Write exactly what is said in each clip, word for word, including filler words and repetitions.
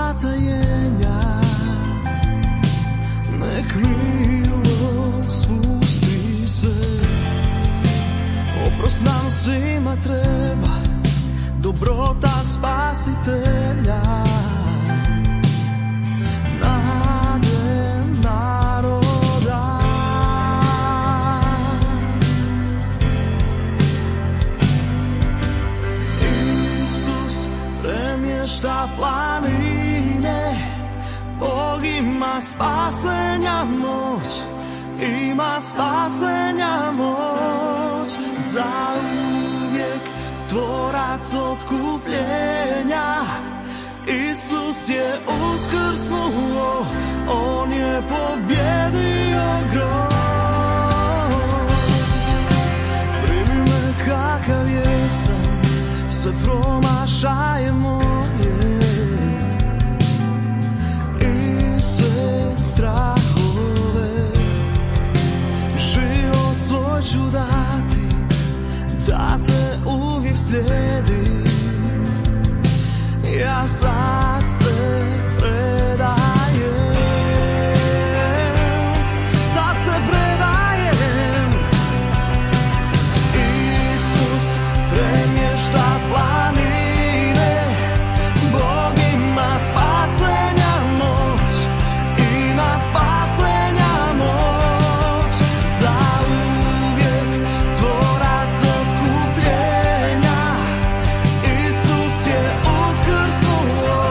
zatajenja, nek milost spusti se. Oprost nam svima treba, dobrota spasitelja. Nade naroda. Isus premješta planine, Bog ima spasenja moć, ima spasenja moć. Za uvijek tvorac otkupljenja, Isus je uskrsnuo, on je pobjedio grob. Primi me kakav jesam, sve promašaje moje i sve strahove. Život svoj ću dati, da te uvijek slijedim. Ja sad se predajem, sad se predajem. Isus premješta planine, Bog ima spasenja moć, ima spasenja moć. Za uvijek tvorac otkupljenja, Isus je uskrsnuo,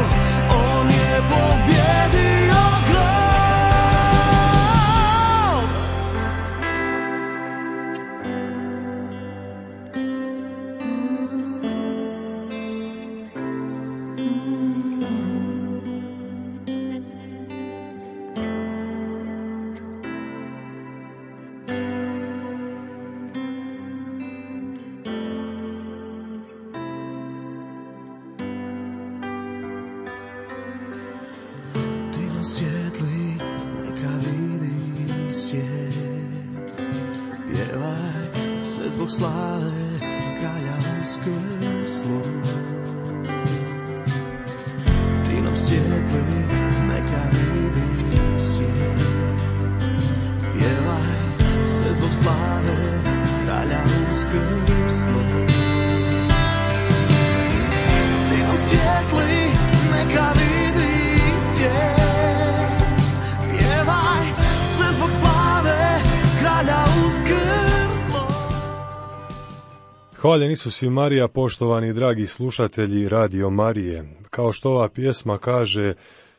on je pobjedio grob. Dino svijetli, neka vidi svijet. Pjevaj sve zbog slave kralja uskrslog. Dino svijetli, neka vidi svijet. Pjevaj sve zbog slave kralja uskrslog. Dino svijetli, neka vidi svijet. Pjevaj sve zbog slave kralja uskrslog. Hvaljen Isus i Marija, poštovani dragi slušatelji Radio Marije. Kao što ova pjesma kaže,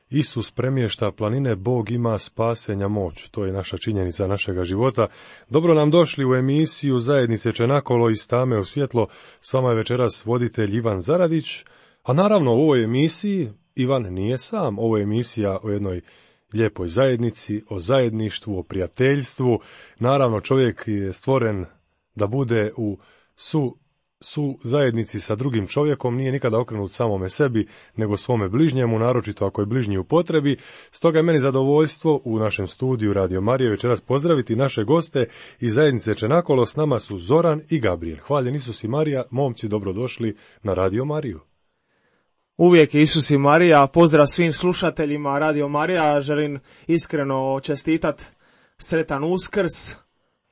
Isus premješta planine, Bog ima spasenja moć. To je naša činjenica našega života. Dobro nam došli u emisiju Zajednice Čenakolo iz Tame u svjetlo. S vama je večeras voditelj Ivan Zaradić. A naravno u ovoj emisiji Ivan nije sam. Ovo je emisija o jednoj lijepoj zajednici, o zajedništvu, o prijateljstvu. Naravno čovjek je stvoren da bude u su, su zajednici sa drugim čovjekom, nije nikada okrenut samome sebi, nego svome bližnjemu, naročito ako je bližnji u potrebi. Stoga je meni zadovoljstvo u našem studiju Radio Marije večeras pozdraviti naše goste iz zajednice Čenakolo. S nama su Zoran i Gabriel. Hvaljen Isus i Marija, momci, dobrodošli na Radio Mariju. Uvijek Isus i Marija, pozdrav svim slušateljima Radio Marija, želim iskreno čestitat sretan Uskrs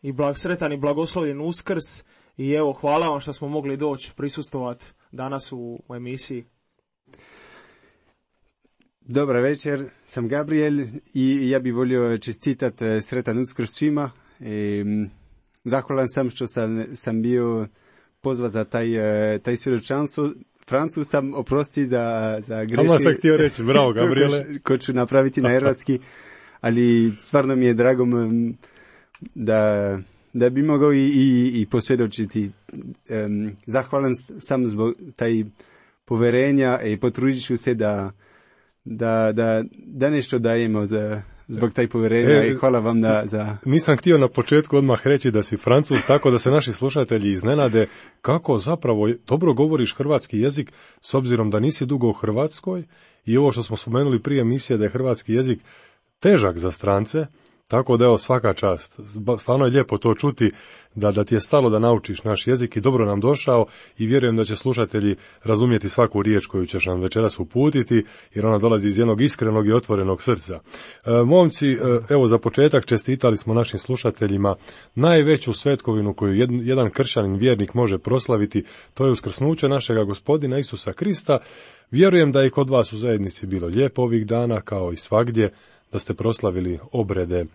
i blag, sretan i blagoslovljen Uskrs i evo hvala vam što smo mogli doći prisustovati danas u, u emisiji. Dobar večer, sam Gabriel i ja bih volio čestitat sretan Uskrs svima. E, zahvalan sam što sam, sam bio pozvat za taj, taj svjedočanstvo. Francuz sam, oprosti za, za greši. Kama sam htio reći, bravo Gabriele. Ko ću napraviti na hrvatski, ali stvarno mi je drago da, da bi mogao i, i, i posvjedočiti. Um, zahvalan sam zbog taj poverenja i potrudit ću se da, da, da, da nešto dajemo za, zbog taj poverenja e, i hvala vam da, za... Nisam htio na početku odmah reći da si Francuz, tako da se naši slušatelji iznenade kako zapravo dobro govoriš hrvatski jezik s obzirom da nisi dugo u Hrvatskoj i ovo što smo spomenuli prije emisije da je hrvatski jezik težak za strance, Tako da evo svaka čast. Stvarno je lijepo to čuti da, da ti je stalo da naučiš naš jezik i dobro nam došao i vjerujem da će slušatelji razumjeti svaku riječ koju ćeš nam večeras uputiti jer ona dolazi iz jednog iskrenog i otvorenog srca. E, momci, e, evo za početak čestitali smo našim slušateljima najveću svetkovinu koju jed, jedan kršćanin vjernik može proslaviti, to je uskrsnuće našega Gospodina Isusa Krista. Vjerujem da je i kod vas u zajednici bilo lijepo ovih dana kao i svagdje, da ste proslavili obrede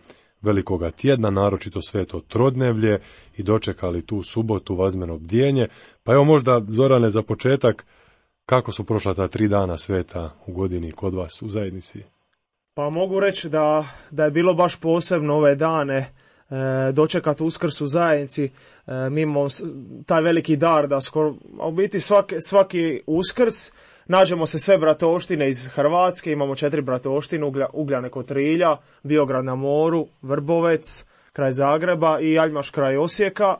velikoga tjedna, naročito sveto trodnevlje i dočekali tu subotu vazmeno bdjenje. Pa evo možda, Zorane, za početak, kako su prošla ta tri dana sveta u godini kod vas u zajednici? Pa mogu reći da, da je bilo baš posebno ove dane e, dočekati Uskrs u zajednici. E, mi imamo taj veliki dar da skoro, a u biti svaki, svaki Uskrs nađemo se sve bratoštine iz Hrvatske, imamo četiri bratoštine, Uglja, Ugljane kod Trilja, Biograd na moru, Vrbovec, kraj Zagreba i Aljmaš kraj Osijeka.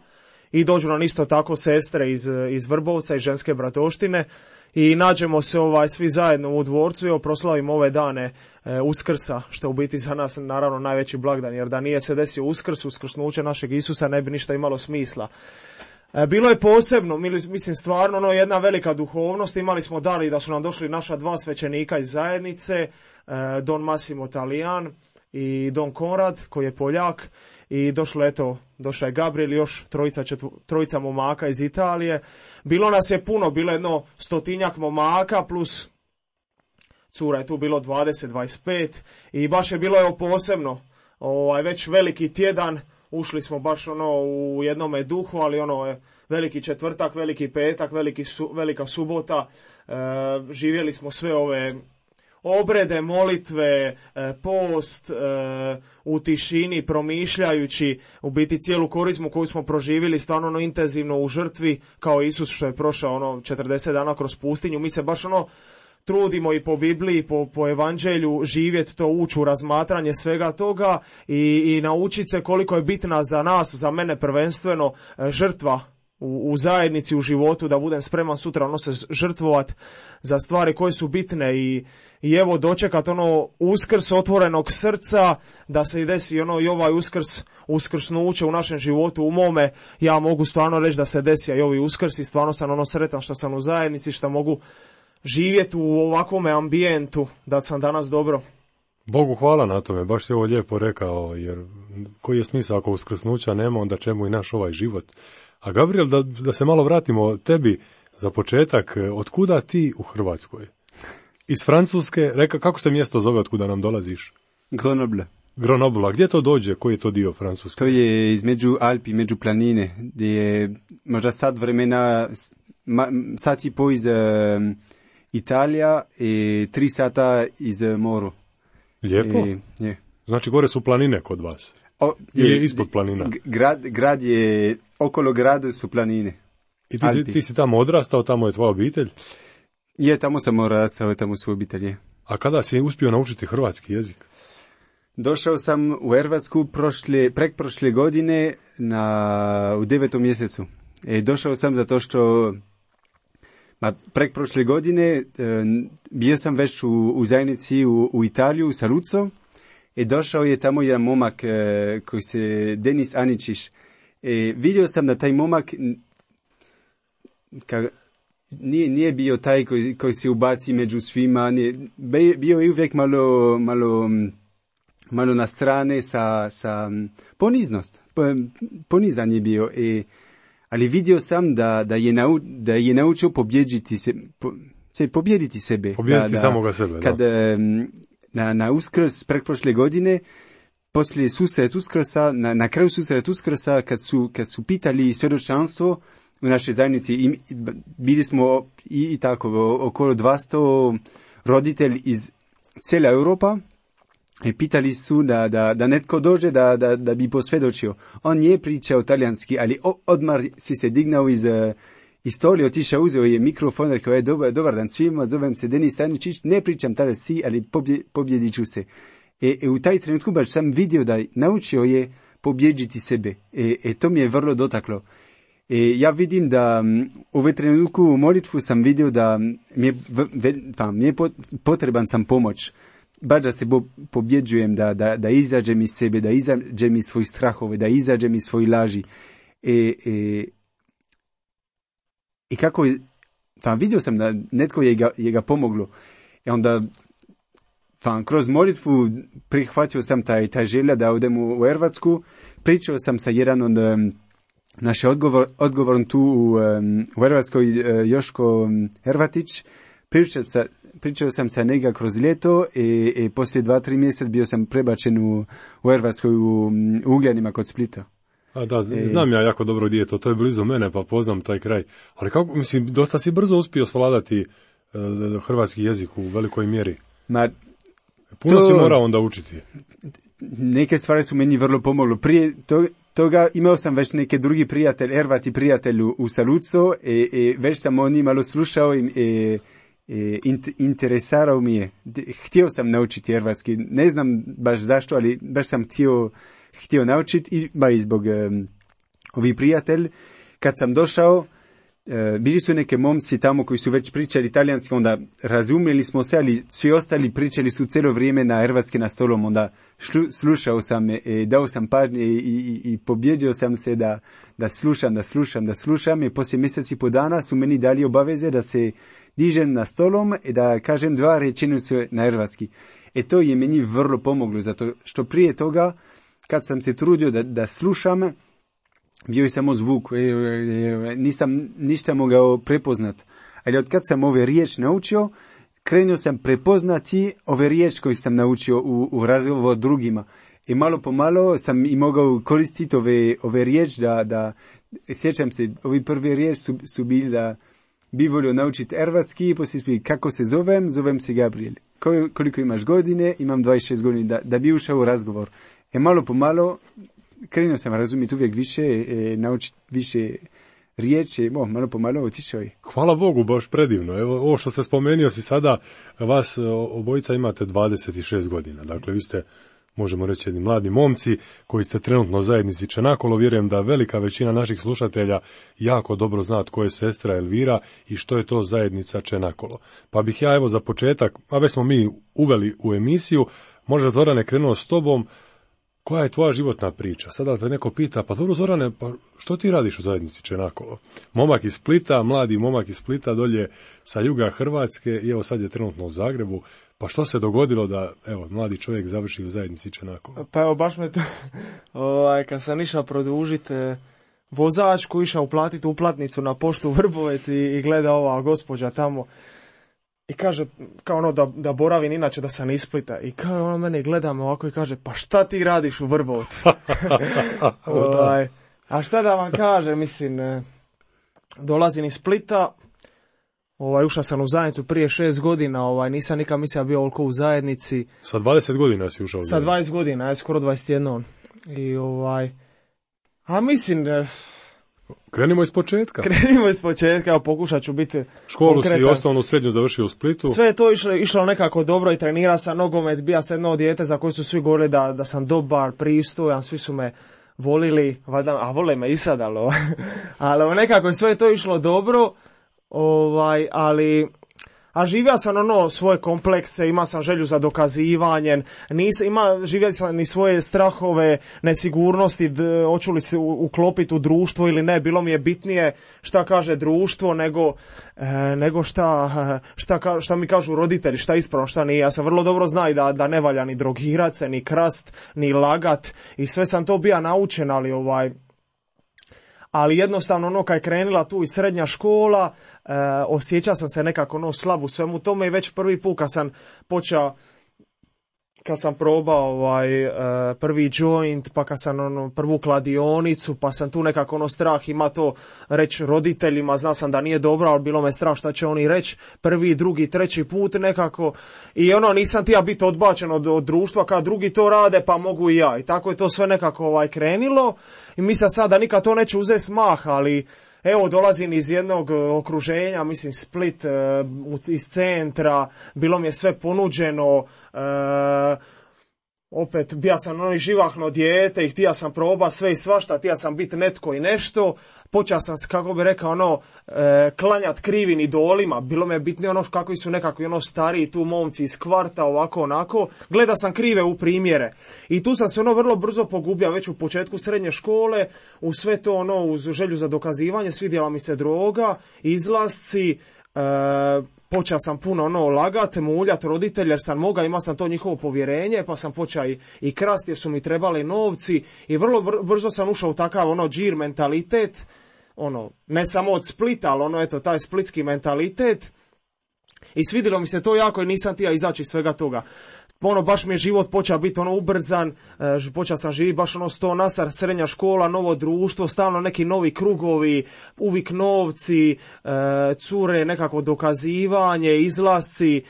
I dođu nam isto tako sestre iz, iz Vrbovca i ženske bratoštine i nađemo se ovaj svi zajedno u dvorcu i proslavimo ove dane e, Uskrsa, što u biti za nas naravno najveći blagdan, jer da nije se desio Uskrs, uskrsnuće našeg Isusa ne bi ništa imalo smisla. E, bilo je posebno, mislim stvarno ono, jedna velika duhovnost, imali smo dali da su nam došli naša dva svećenika iz zajednice, e, Don Massimo Talijan i Don Konrad koji je Poljak. I došlo, eto, došao je Gabriel i još trojica, četvu, trojica momaka iz Italije. Bilo nas je puno, bilo jedno stotinjak momaka plus cura je tu bilo dvadeset do dvadeset pet i baš je bilo evo posebno. Ovaj, već veliki tjedan, ušli smo baš ono u jednome duhu, ali ono veliki četvrtak, veliki petak, veliki su, velika subota, e, živjeli smo sve ove obrede, molitve, post, u tišini, promišljajući u biti cijelu korizmu koju smo proživjeli stvarno ono intenzivno u žrtvi, kao Isus što je prošao ono četrdeset dana kroz pustinju. Mi se baš ono trudimo i po Bibliji, po, po evanđelju živjeti to, ući u razmatranje svega toga i, i naučiti se koliko je bitna za nas, za mene prvenstveno, žrtva u, u zajednici, u životu, da budem spreman sutra ono se žrtvovat za stvari koje su bitne i, i evo dočekat ono Uskrs otvorenog srca, da se i desi ono i ovaj Uskrs, uskrsnuće u našem životu, u mome, ja mogu stvarno reći da se desi i ovi Uskrs i stvarno sam ono sretan što sam u zajednici, što mogu živjeti u ovakvome ambijentu, da sam danas dobro. Bogu hvala na tome, baš je ovo lijepo rekao, jer koji je smisao ako uskrsnuća nema, onda čemu i naš ovaj život. A Gabriel, da, da se malo vratimo tebi za početak, otkuda ti u Hrvatskoj? Iz Francuske, reka, kako se mjesto zove otkuda nam dolaziš? Grenoble. Grenoble, a gdje to dođe? Koji je to dio Francuske? To je između Alpi, među planine, gdje je možda sad vremena, sat i po iz um, Italija i tri sata iz moru. Lijepo? I, je. Znači gore su planine kod vas? O, Ili je ispod planina? Grad, grad je, okolo grada su planine. I ti si, ti si tamo odrastao, tamo je tvoja obitelj? Je, tamo sam odrastao, tamo su obitelji. A kada si uspio naučiti hrvatski jezik? Došao sam u Hrvatsku prošle, prek prošle godine na, u devetom mjesecu. E, došao sam zato što ma, prek prošle godine e, bio sam već u, u zajednici u, u Italiju, u Saluzzo. I došao je tamo jedan momak e, koji se Denis Aničić. E, vidio sam da taj momak ka, nije, nije bio taj koji, koji se ubaci među svima. Nije, bio je uvijek malo, malo, malo na strane sa, sa poniznost. Ponizan je bio. E, ali vidio sam da, da, je, nau, da je naučio pobjediti se, po, se, pobjediti sebe. Pobjediti da, samoga sebe, kad, da. Na, na Uskrs pretprošle godine, poslije susret Uskrsa, na, na kraju susret Uskrsa, kad su, kad su pitali svjedočanstvo u našoj zajednici, i, bili smo i, i tako okolo dvjesto roditelji iz cijela Europa, i pitali su da, da, da netko dođe da, da, da bi posvjedočio. On nije pričao talijanski, ali odmah si se dignao iz iz stoli, otišao, uzeo je mikrofon, rekao je dobar, dobar dan svima, zovem se Denis Aničić, ne pričam talijanski, ali pobje, pobjedit ću se. E, e, u taj trenutku baš sam vidio da naučio je pobjediti sebe. E, e, to mi je vrlo dotaklo. E, ja vidim da um, u ovaj trenutku u molitvu sam vidio da mi je, v, v, tam, mi je pot, potreban sam pomoć. baš da se bo, pobjeđujem, da, da, da izađem iz sebe, da izađem iz svojih strahove, da izađem iz svojih laži. I, i, i kako je, pa vidio sam da netko je ga, je ga pomoglo. I onda, pa kroz molitvu prihvatio sam taj, taj želja da odem u, u Hrvatsku. Pričao sam sa jedan od um, naše odgovor, odgovorom tu u, um, u Hrvatskoj, uh, Joško Hrvatić. Pričao, sa, pričao sam sa njega kroz ljeto i, i poslije dva, tri mjeseca bio sam prebačen u, u Hrvatskoj u, u Ugljanima kod Splita. A da, znam ja jako dobro gdje je to, to je blizu mene, pa poznam taj kraj. Ali kako, mislim, dosta si brzo uspio svladati uh, hrvatski jezik u velikoj mjeri. Ma, Puno to, si morao onda učiti. Neke stvari su meni vrlo pomoglo. Prije to, toga imao sam već neke drugi prijatelj, Hrvati prijatelj u Saluco, i, i već sam o njih malo slušao i, i, i interesarao mi je. Htio sam naučiti hrvatski. Ne znam baš zašto, ali baš sam htio htio naučiti i ba i zbog um, ovi prijatelj. Kad sam došao, uh, bili su neke momci tamo koji su već pričali italijanski, onda razumjeli smo se, ali svi ostali pričali su cijelo vrijeme na hrvatski na stolom, onda šlu, slušao sam, e, dao sam pažnje i, i, i pobjeđio sam se da, da slušam, da slušam, da slušam i poslije mjeseci po dana su meni dali obaveze da se dižem na stolom i da kažem dva rečenice na hrvatski. E to je meni vrlo pomoglo, zato što prije toga kad sam se trudio da, da slušam, bio je samo zvuk, e, e, nisam ništa mogao prepoznat. Ali od kad sam ove riječ naučio, krenuo sam prepoznati ove riječ koje sam naučio u, u razgovoru drugima. I malo po malo sam i mogao koristiti ove, ove riječ da, da, sjećam se, ovi prvi riječ su, su bili da bi volio naučiti hrvatski i poslije spili kako se zovem, zovem se Gabriel. Koliko imaš godine, imam dvadeset šest godina, da, da bi ušao u razgovor. E malo po malo krenuo sam razumjeti uvijek više, e, naučiti više riječi, oh, malo po malo otišao je. Hvala Bogu, baš predivno. Evo, ovo što ste spomenio si sada, vas obojica imate dvadeset šest godina. Dakle, vi ste, možemo reći, jedni mladi momci koji ste trenutno u zajednici Čenakolo. Vjerujem da velika većina naših slušatelja jako dobro zna tko je sestra Elvira i što je to zajednica Čenakolo. Pa bih ja evo za početak, a već smo mi uveli u emisiju, možda Zorane krenuo s tobom, koja je tvoja životna priča? Sada te neko pita, pa dobro Zorane, pa što ti radiš u zajednici Čenakolo? Momak iz Splita, mladi momak iz Splita, dolje sa juga Hrvatske i evo sad je trenutno u Zagrebu. Pa što se dogodilo da, evo, mladi čovjek završi u zajednici Čenakolo? Pa evo, baš me to, ovaj, kad sam išao produžiti vozačku, išao uplatiti uplatnicu na poštu Vrbovec i, i gleda ova gospođa tamo i kaže, kao ono da, da boravim inače da sam iz Splita. I kao ona mene gleda me ovako i kaže, pa šta ti radiš u Vrbovcu? ovaj, a šta da vam kaže, mislim, dolazim iz Splita, ovaj, ušao sam u zajednicu prije šest godina, ovaj, nisam nikad mislio bio ovoliko u zajednici. Sa dvadeset godina si ušao u zajednicu? Sa dvadeset godina, je skoro dvadeset jedan. I ovaj, a mislim, krenimo iz početka. Krenimo iz početka, evo pokušat ću biti školu konkretan. Si osnovnu srednju završio u Splitu. Sve je to išlo, išlo nekako dobro i trenirao sam nogomet, bija sam jedno dijete za koje su svi govorili da, da sam dobar, pristojan, svi su me volili, valjda, a vole me i sad, ali, ali nekako sve je to išlo dobro, ovaj, ali a živio sam ono svoje komplekse, imao sam želju za dokazivanjem, nisam, ima, živio sam ni svoje strahove, nesigurnosti, d, hoću li se uklopiti u društvo ili ne, bilo mi je bitnije šta kaže društvo nego, e, nego šta, šta, šta mi kažu roditelji, šta ispravno, šta nije. Ja sam vrlo dobro znao da, da ne valja ni drogirat se, ni krast, ni lagat i sve sam to bio naučen, ali ovaj... Ali jednostavno ono kad je krenula tu i srednja škola, e, osjećao sam se nekako ono slab u svemu tome i već prvi put kad sam počeo, kad sam probao ovaj, e, prvi joint, pa kad sam ono, prvu kladionicu, pa sam tu nekako ono strah ima to reći roditeljima, znao sam da nije dobro, ali bilo me strah šta će oni reći, prvi, drugi, treći put nekako i ono nisam tija biti odbačen od, od društva, kad drugi to rade pa mogu i ja i tako je to sve nekako ovaj, krenilo i mislim sad da nikad to neće uzeti smah, ali evo, dolazim iz jednog okruženja, mislim Split, iz centra, bilo mi je sve ponuđeno, opet, bija sam ono živahno dijete i htio sam proba sve i svašta, htio sam biti netko i nešto, počeo sam, kako bi rekao, ono, e, klanjat krivim idolima, bilo me bitnije ono kakvi su nekakvi ono stariji tu momci iz kvarta, ovako, onako, gleda sam krive u primjere. I tu sam se ono vrlo brzo pogubio, već u početku srednje škole, u sve to ono, uz želju za dokazivanje, svidjela mi se droga, izlasci, e, počeo sam puno ono lagati, muljati roditelje jer sam mogao, imao sam to njihovo povjerenje, pa sam počeo i, i krasti jer su mi trebali novci i vrlo brzo sam ušao u takav ono džir mentalitet, ono, ne samo od Splita, ali ono, eto, taj splitski mentalitet i svidjelo mi se to jako i nisam htio izaći iz svega toga. Ono, baš mi je život počeo biti ono ubrzan, e, počeo sam živjeti baš ono sto nasar, srednja škola, novo društvo, stalno neki novi krugovi, uvijek novci, e, cure, nekako dokazivanje, izlasci, e,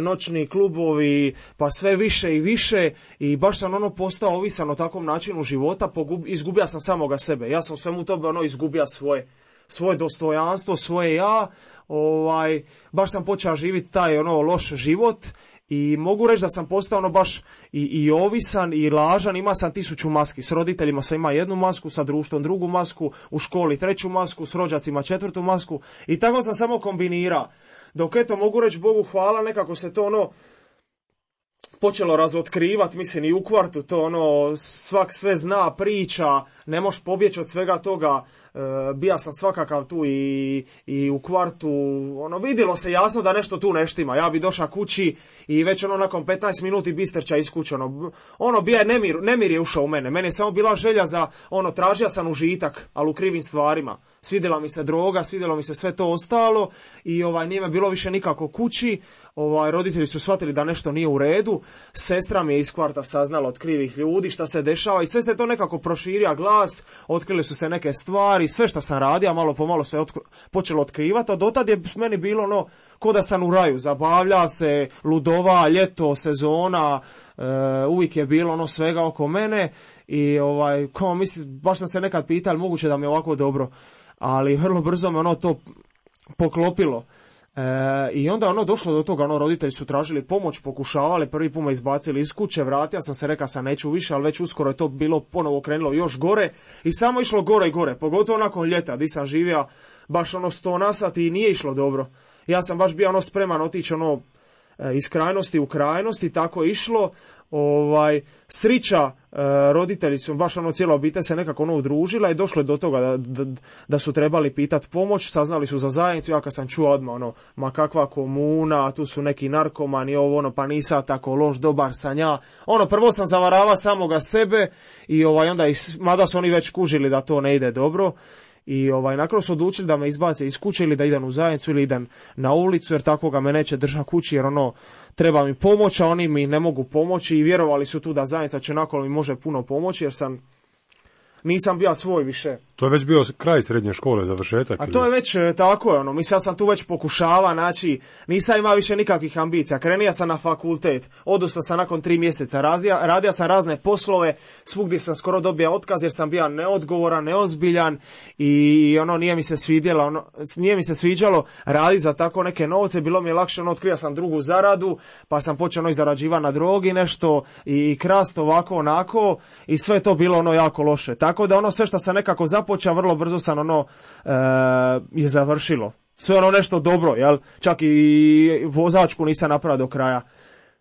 noćni klubovi, pa sve više i više i baš sam ono postao ovisan o takvom načinu života, pogub, izgubio sam samoga sebe, ja sam svemu tome ono izgubio svoje. svoje dostojanstvo, svoje ja, ovaj, baš sam počeo živjeti taj ono loš život i mogu reći da sam postao ono baš i, i ovisan i lažan, ima sam tisuću maski, s roditeljima sam ima jednu masku, sa društvom drugu masku, u školi treću masku, s rođacima četvrtu masku i tako sam samo kombinirao. Dok eto mogu reći Bogu hvala, nekako se to ono počelo razotkrivati, mislim i u kvartu, to ono, svak sve zna, priča, ne možeš pobjeći od svega toga, e, bija sam svakakav tu i, i u kvartu, ono, vidjelo se jasno da nešto tu ne štima, ja bi došao kući i već ono nakon petnaest minuti bisterća iz kuće, ono, ono bija nemir, nemir je ušao u mene, meni je samo bila želja za, ono, tražio sam užitak, ali u krivim stvarima, svidjela mi se droga, svidjelo mi se sve to ostalo i ovaj, nije me bilo više nikako kući, ovaj, roditelji su shvatili da nešto nije u redu, sestra mi je iz kvarta saznala od krivih ljudi šta se dešava i sve se to nekako proširio glas, otkrili su se neke stvari, sve što sam radio, malo po malo se otkri, počelo otkrivati, a dotad je meni bilo ono, ko da sam u raju, zabavlja se, ludova, ljeto, sezona, e, uvijek je bilo ono svega oko mene i ovaj, ko, mislim, baš sam se nekad pitao, moguće da mi je ovako dobro, ali vrlo brzo me ono to poklopilo. E, I onda ono došlo do toga, ono roditelji su tražili pomoć, pokušavali, prvi put me izbacili iz kuće, vratio sam se, rekao sam neću više, ali već uskoro je to bilo ponovo krenulo još gore i samo išlo gore i gore, pogotovo nakon ljeta di sam živio baš ono sto na sat i nije išlo dobro. Ja sam baš bio ono spreman otići ono iz krajnosti u krajnosti, tako je išlo. Ovaj, srića, e, roditelji su, baš ono cijela obitelj se nekako ono udružila i došlo je do toga da, da, da su trebali pitati pomoć, saznali su za zajednicu, ja kad sam čuo odmah ono, ma kakva komuna, tu su neki narkomani, ovo ono, pa nisam tako loš, dobar sam ja, ono, prvo sam zavarava samoga sebe i ovaj, onda, is, mada su oni već kužili da to ne ide dobro. I ovaj, nakon su odlučili da me izbace iz kuće ili da idem u zajednicu ili idem na ulicu jer tako ga me neće držati kući jer ono treba mi pomoć, a oni mi ne mogu pomoći i vjerovali su tu da zajednica će nakon mi može puno pomoći jer sam nisam bio svoj više. To je već bio kraj srednje škole, završetak? A to je već tako je ono, mislim ja sam tu već pokušava, znači nisam imao više nikakvih ambicija, krenio sam na fakultet, odustao sam nakon tri mjeseca, radio, radio sam razne poslove, svugdje sam skoro dobio otkaz jer sam bio neodgovoran, neozbiljan i ono nije mi se svidjelo, ono, nije mi se sviđalo raditi za tako neke novce, bilo mi je lakše, ono, otkrio sam drugu zaradu, pa sam počeo ono, zarađivati na drogi nešto i krast ovako onako i sve to bilo ono jako loše. Tako da ono sve što sam nekako započeo, vrlo brzo sam ono e, je završilo. Sve ono nešto dobro, jel? Čak i vozačku nisam napravio do kraja.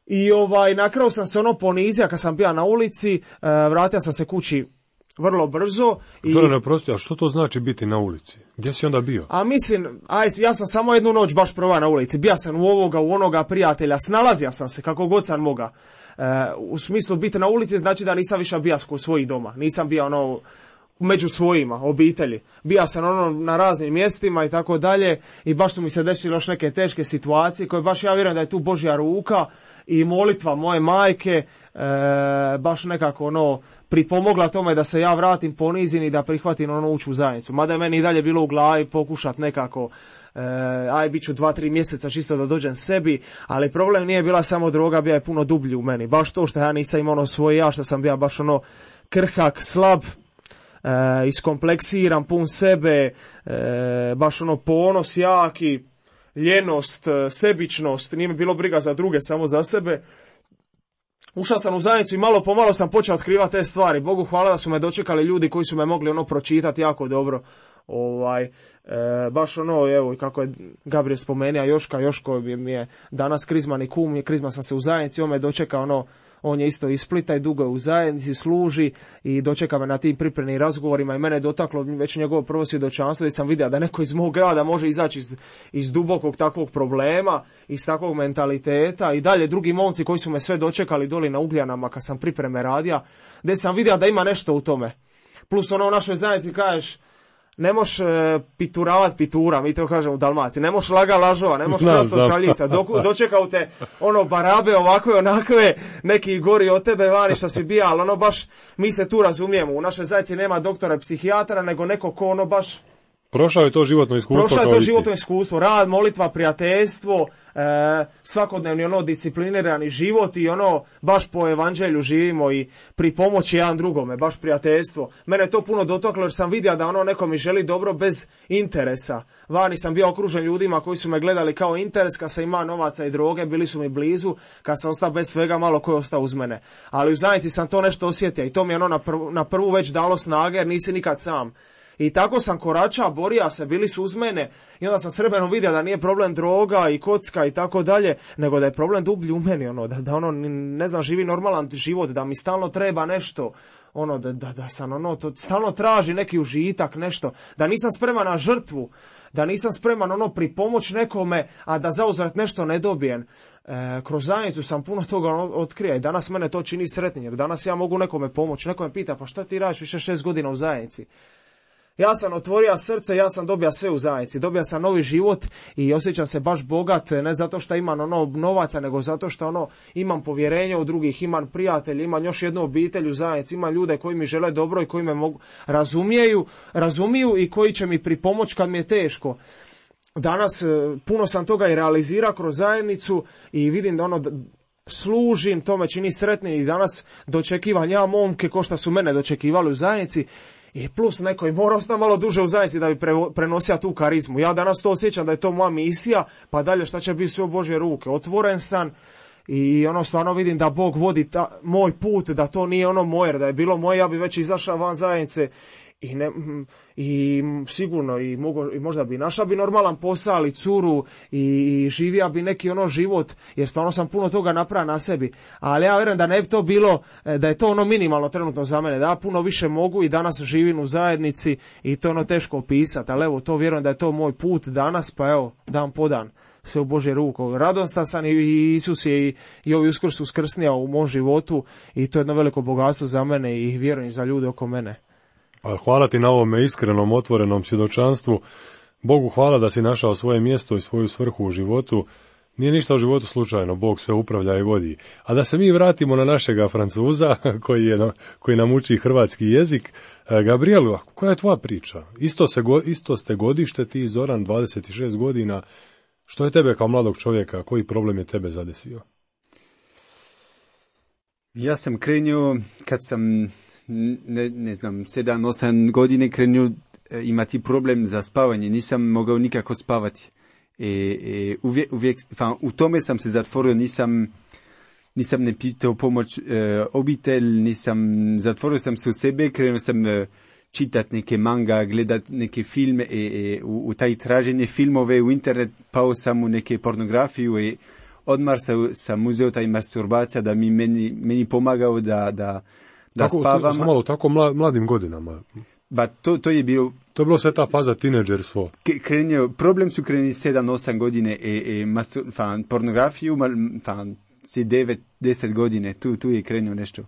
I ovaj, na kraju sam se ono ponizio kad sam bio na ulici, e, vratio sam se kući vrlo brzo. I... Zorane, oprosti, a što to znači biti na ulici? Gdje si onda bio? A mislim, aj, ja sam samo jednu noć baš prva na ulici. Bio sam u ovoga, u onoga prijatelja, snalazio sam se kako god sam moga. E, u smislu biti na ulici znači da nisam više bio u svojih doma. Nisam bio ono među svojima, obitelji. Bija sam ono na raznim mjestima i tako dalje i baš su mi se desile još neke teške situacije koje baš ja vjerujem da je tu Božja ruka i molitva moje majke e, baš nekako ono pripomogla tome da se ja vratim ponizim i da prihvatim ono ući u zajednicu. Mada je meni i dalje bilo u glavi pokušat nekako e, aj bit ću dva, tri mjeseca čisto da dođem sebi, ali problem nije bila samo droga, bio je puno dublji u meni. Baš to što ja nisam imao ono svoje ja, što sam bio baš ono krhak, slab, E, iskompleksiran, pun sebe, e, baš ono ponos jaki, ljenost, sebičnost, nije mi bilo briga za druge, samo za sebe. ušao sam u zajednicu i malo po malo sam počeo otkrivati te stvari. Bogu hvala da su me dočekali ljudi koji su me mogli ono pročitati jako dobro. Ovaj, e, baš ono, evo, kako je Gabriel spomenuo, Joška, Joško mi je danas krizman i kum, krizman sam se u zajednici, on me dočeka ono, on je isto iz Splita i dugo je u zajednici, služi i dočeka me na tim pripremnim razgovorima i mene je dotaklo već njegovo prvo svjedočanstvo i sam vidio da neko iz mog grada može izaći iz, iz dubokog takvog problema, iz takvog mentaliteta i dalje drugi momci koji su me sve dočekali doli na Ugljanama kad sam pripreme radija, gdje sam vidio da ima nešto u tome. Plus ono u našoj zajednici kažeš, ne moš e, pituravat pitura, mi to kažemo u Dalmaciji, ne moš laga lažova, ne moš krast od kraljica, dok, dočekao te ono barabe ovakve, onakve, neki gori od tebe vani što si bija, ali ono baš, mi se tu razumijemo, u našoj zajednici nema doktora psihijatra, nego neko ko ono baš... Prošao je to životno iskustvo. Prošao je to životno iskustvo, rad, molitva, prijateljstvo, e, svakodnevni ono disciplinirani život i ono baš po evanđelju živimo i pri pomoći jedan drugome, baš prijateljstvo. Mene je to puno dotaklo jer sam vidio da ono neko mi želi dobro bez interesa. Vani sam bio okružen ljudima koji su me gledali kao interes, kad sam imao novaca i droge, bili su mi blizu, kad sam ostao bez svega, malo ko je ostao uz mene. Ali u zajednici sam to nešto osjetio i to mi je ono na prvu, na prvu već dalo snage jer nisi nikad sam. I tako sam korača, borio se, bili su uz mene i onda sam s vremenom vidio da nije problem droga i kocka i tako dalje, nego da je problem dublji u meni, ono, da, da ono, ne znam, živi normalan život, da mi stalno treba nešto, ono, da, da, da sam, ono, to stalno traži neki užitak, nešto, da nisam spreman na žrtvu, da nisam spreman, ono, pripomoć nekome, a da zauzvrat nešto ne dobijem. E, kroz zajednicu sam puno toga otkrija i danas mene to čini sretnim, jer danas ja mogu nekome pomoći, neko me pita, pa šta ti radiš više šest godina u zajednici? Ja sam otvorio srce, ja sam dobio sve u zajednici, dobio sam novi život i osjećam se baš bogat, ne zato što imam ono novaca, nego zato što ono imam povjerenje u drugih, imam prijatelje, imam još jednu obitelj u zajednici, imam ljude koji mi žele dobro i koji me mogu, razumiju, razumiju i koji će mi pripomoći kad mi je teško. Danas puno sam toga i realizirao kroz zajednicu i vidim da ono služim, to me čini sretnim i danas dočekivam ja momke ko što su mene dočekivali u zajednici. I plus neko i mora ostati malo duže u zajednici da bi pre, prenosio tu karizmu. Ja danas to osjećam da je to moja misija, pa dalje šta će biti sve u Božje ruke. Otvoren sam i ono stvarno vidim da Bog vodi ta, moj put, da to nije ono moje, da je bilo moje, ja bi već izašao van zajednice i, ne, i sigurno i, mogo, i možda bi našao bi normalan posao, ali curu i, i živio bi neki ono život, jer stvarno sam puno toga napravio na sebi. Ali ja vjerujem da ne bi to bilo, da je to ono minimalno trenutno za mene, da ja puno više mogu i danas živim u zajednici i to je ono teško opisati, ali evo to vjerujem da je to moj put danas, pa evo dan po dan sve u Božje ruku. Radostan sam i Isus je i, i ovi uskrs uskrsnija u mom životu i to je jedno veliko bogatstvo za mene i vjerujem za ljude oko mene. Pa hvala ti na ovome iskrenom, otvorenom svjedočanstvu. Bogu hvala da si našao svoje mjesto i svoju svrhu u životu. Nije ništa u životu slučajno, Bog sve upravlja i vodi. A da se mi vratimo na našega Francuza, koji, je, koji nam uči hrvatski jezik. Gabrielu, koja je tvoja priča? Isto, se, isto ste godište, ti Zoran, dvadeset šest godina. Što je tebe kao mladog čovjeka, koji problem je tebe zadesio? Ja sam krenio kad sam... Ne, ne znam, sedam, osam godine krenio imati problem za spavanje, nisam mogao nikako spavati. E, e, uvijek, uvijek, fa, u tome sam se zatvorio, nisam, nisam ne pitao pomoć e, obitelj, nisam, zatvorio sam se u sebe, krenuo sam e, čitati neke manga, gledati neke filme, e, e, u, u taj traženje filmove u internet, pao sam u neke pornografiju i odmah sam, sam uzeo taj masturbacija da mi meni, meni pomagao da, da da tako, spavam. Malo, tako mladim godinama. Ba, to, to je bilo... To je bilo sve ta faza tineđerstvo. Krenio, problem su krenili sedam osam godine e, e, mastur, fan, pornografiju, fan, si devet deset godine, tu, tu je krenio nešto.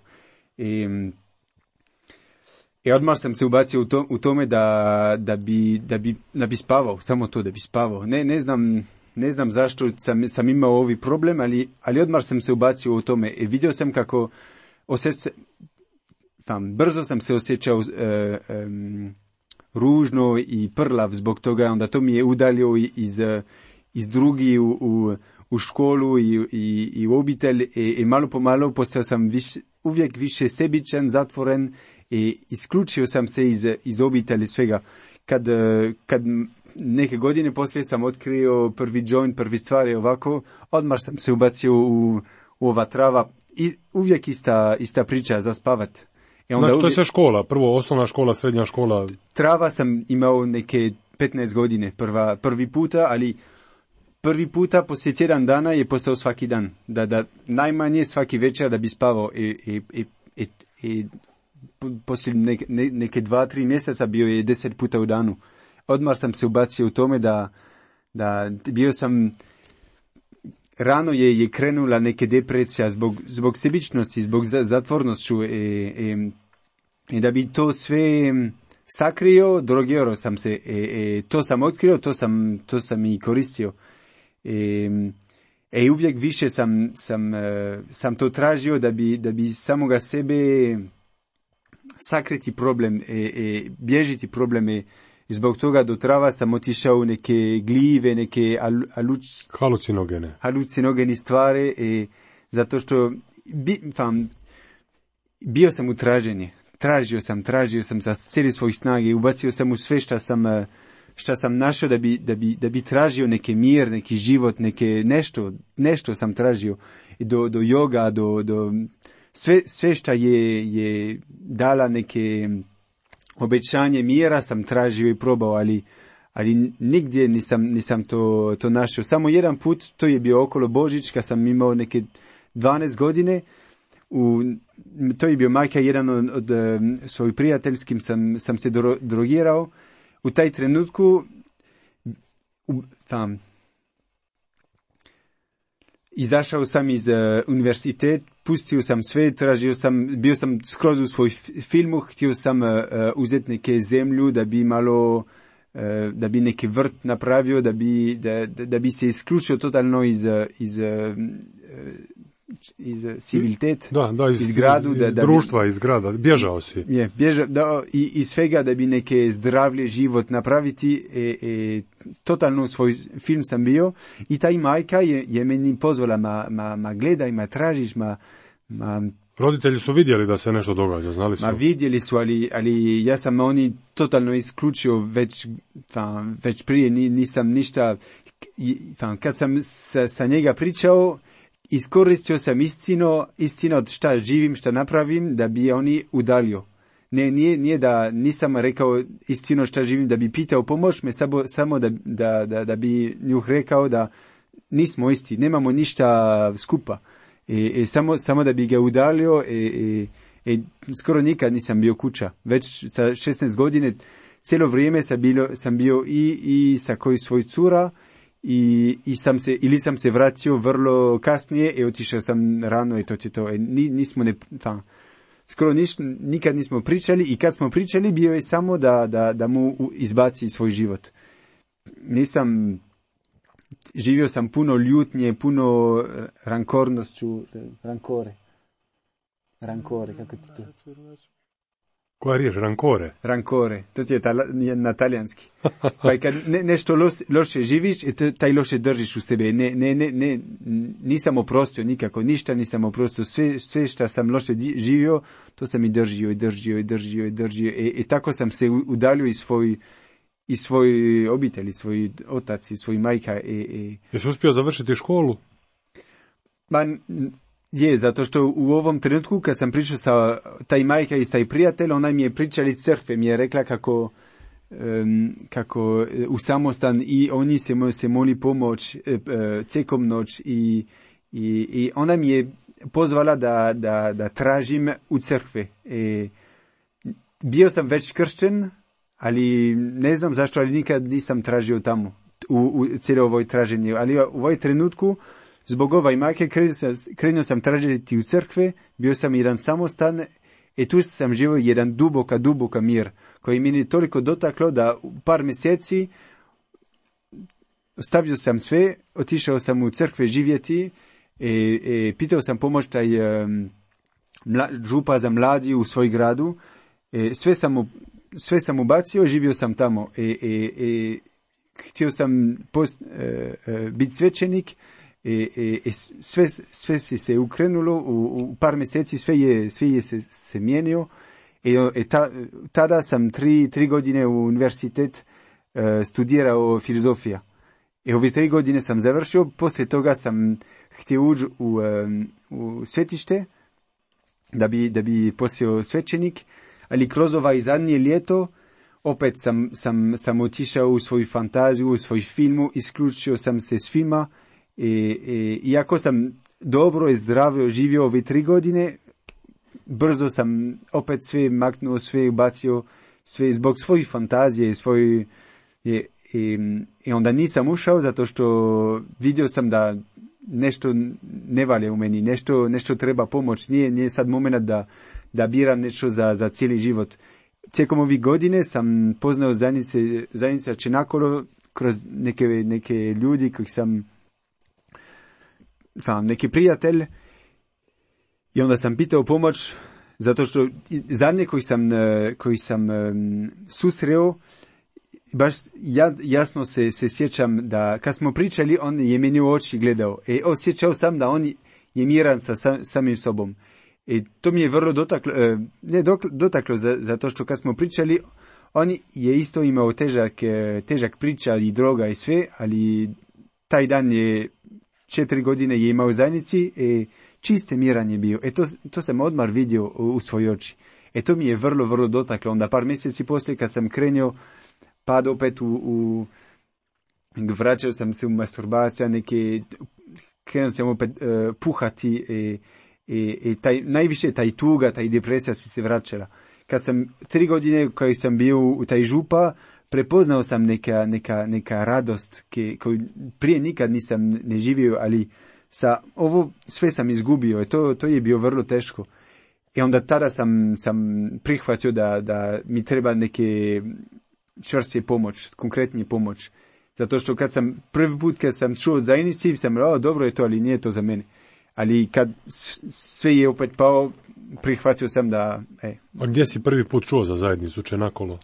I, i odmah sam se ubacio u, to, u tome da, da, bi, da, bi, da bi spavao, samo to da bi spavao. Ne, ne znam... Ne znam zašto sam, sam imao ovi problem, ali, ali odmah sam se ubacio u tome. I vidio sam kako osjeća, tam, brzo sam se osjećao e, um, ružno i prlav zbog toga, onda to mi je udalio iz, iz drugi u, u, u školu i, i, i u obitelj i, i malo po malo postao sam viš, uvijek više sebičan, zatvoren i isključio sam se iz, iz obitelji svega. Kad, kad neke godine poslije sam otkrio prvi joint, prvi stvari ovako, odmah sam se ubacio u, u ova trava i, uvijek ista, ista priča za spavat. I onda znači, to je sve škola, prvo osnovna škola, srednja škola. Trava sam imao neke petnaest godine, prva, prvi puta, ali prvi puta poslije tjedan dana je postao svaki dan. Da, da najmanje svaki večer da bi spavao i, i, i, i, i poslije neke, neke dva, tri mjeseca bio je deset puta u danu. Odmah sam se ubacio u tome da, da bio sam, rano je, je krenula neke depresija zbog, zbog sebičnosti, zbog zatvornošću i, i, i da bi to sve sakrio, drogirao sam se, i, i to sam otkrio, to sam, to sam i koristio. I, i uvijek više sam, sam, sam to tražio da bi, da bi samoga sebe sakriti problem i, i bježiti probleme. Zbog toga do trava sam otišao u neke gljive, neke alu, aluč, halucinogene. halucinogeni stvari, i zato što bi, tam, bio sam u traženje. Tražio sam, tražio sam sa cijeli svojih snage, ubacio sam u sve šta sam, šta sam našao da bi, da bi, da bi tražio neki mir, neki život, neke nešto, nešto sam tražio. I do, do joga, do, do sve, sve šta je, je dala neke obećanje mira sam tražio i probao, ali, ali nigdje nisam, nisam to, to našao. Samo jedan put, to je bio okolo Božić, kad sam imao neke dvanaest godine, u, to je bio majka, jedan od, od um, svojih prijateljskim sam, sam se dro, drogirao. U taj trenutku, u, tam, izašao sam iz uh, univerzitet, pustio sam sve, tražio sam, bio sam skroz u svoj filmu, htio sam uh, uzeti neke zemlju da bi malo, uh, da bi neki vrt napravio, da bi, da, da bi se isključio totalno iz, iz, uh, iz civilitet, da, da, iz, iz gradu. Iz, da, iz da društva, bi, iz grada, bježao si. Je, bježao, da, i, i svega da bi neke zdravlje život napraviti, e, e, totalno svoj film sam bio i taj majka je, je meni pozvala, ma, ma, ma gledaj, ma tražiš, ma, ma... Roditelji su vidjeli da se nešto događa, znali su? Ma vidjeli su, ali, ali ja sam oni totalno isključio već, tam, već prije, nisam ništa, tam, kad sam sa, sa njega pričao, iskoristio sam istino, istino od šta živim, šta napravim, da bi oni udalio. Ne, nije, nije da nisam rekao istino šta živim, da bi pitao pomoć me, samo, samo da, da, da, da bi njuh rekao da nismo isti, nemamo ništa skupa. I, i samo, samo da bi ga udalio i, i, i skoro nikad nisam bio kuća. Već sa šesnaest godine cijelo vrijeme sam, bilo, sam bio i, i sa koji svoj cura, I, i sam se, ili sam se vratio vrlo kasnije i otišao sam rano i to će to. E, ni, nismo ne, ta, skoro niš, nikad nismo pričali i kad smo pričali bio je samo da, da, da mu izbaci svoj život. Nisam, živio sam puno ljutnje, puno rankornošću, rankore. Rankore, kako ti to? Koja riječ? Rankore? Rankore, to je tala, na talijanski. Pa kad ne, nešto loš, loše živiš, i taj loše držiš u sebe. Ne, ne, ne, ne, nisam oprostio nikako, ništa nisam oprostio. Sve, sve što sam loše živio, to sam i držio, i držio, i držio, i držio. I, i tako sam se udalio iz svoj, iz svoj obitelji, svoj otac, i svoj majka. I, i... Jesi uspio završiti školu? Ma, je, zato što u ovom trenutku kad sam pričao sa taj majka i taj prijatelj, ona mi je pričala iz crkve, mi je rekla kako, um, kako u samostan i oni se, se moli pomoć uh, cekom noć i, i, i ona mi je pozvala da, da, da tražim u crkve. E, bio sam već kršćen, ali ne znam zašto, ali nikad nisam tražio tamo u, u cijelo ovoj traženju, ali u ovoj trenutku zbog ovaj majke krenuo sam tražiti u crkve, bio sam jedan samostan i tu sam živio jedan duboka, duboka mir, koji mi je toliko dotaklo da u par mjeseci stavio sam sve, otišao sam u crkve živjeti i, i pitao sam pomoć taj um, mla, župa za mladi u svoj gradu. I sve sam, sve sam ubacio, živio sam tamo i, i, i htio sam post, e, e, biti svećenik. I, i, i sve, sve se, se ukrenulo, u, u par mjeseci sve je, sve je se, se mijenio i, i ta, tada sam tri, tri godine u univerzitet uh, studirao filozofija I ove tri godine sam završio, poslije toga sam htio ući u, u svetište, da bi, da bi postao svećenik, ali kroz ovaj zadnje ljeto opet sam, sam, sam otišao u svoju fantaziju, u svoj filmu, isključio sam se s filma i, i iako sam dobro i zdravo živio ove tri godine, brzo sam opet sve maknuo, sve ubacio, sve zbog svojih fantazije, svoj, i, i, i onda nisam ušao zato što vidio sam da nešto ne valja u meni, nešto, nešto treba pomoć, nije, nije sad moment da, da biram nešto za, za cijeli život. Tijekom ovih godine sam poznao zajednice, zajednica Čenakolo kroz neke, neke ljudi kojih sam, sam neki prijatelj, i onda sam pitao pomoć zato što zadnje koji sam, koji sam um, susreo, baš ja, jasno se, se sjećam da kad smo pričali, on je meni u oči gledao i osjećao sam da on je miran sa sam, samim sobom. I to mi je vrlo dotaklo, ne dotaklo zato što kad smo pričali, on je isto imao težak, težak priča i droga i sve, ali taj dan je četiri godine je imao u zajednici i čiste miran je bio. E to, to sam odmah vidio u, u svoj oči. E to mi je vrlo, vrlo dotaklo. Onda par mjeseci poslije kad sam krenio pad opet u, u vraćao sam se u masturbaciju, neke, krenuo sam opet uh, puhati i, i, i taj, najviše taj tuga, taj depresija si se vraćala. Kad sam tri godine koji sam bio u taj župa, prepoznao sam neka, neka, neka radost ke, koju prije nikad nisam ne živio, ali sa ovo sve sam izgubio i to, to je bio vrlo teško. I onda tada sam, sam prihvatio da, da mi treba neke čvrstije pomoć, konkretnije pomoć. Zato što kad sam prvi put kad sam čuo zajednici, sam rekao, dobro je to, ali nije to za mene. Ali kad sve je opet pao, prihvatio sam da... E. A gdje si prvi put čuo za zajednicu Čenakolo?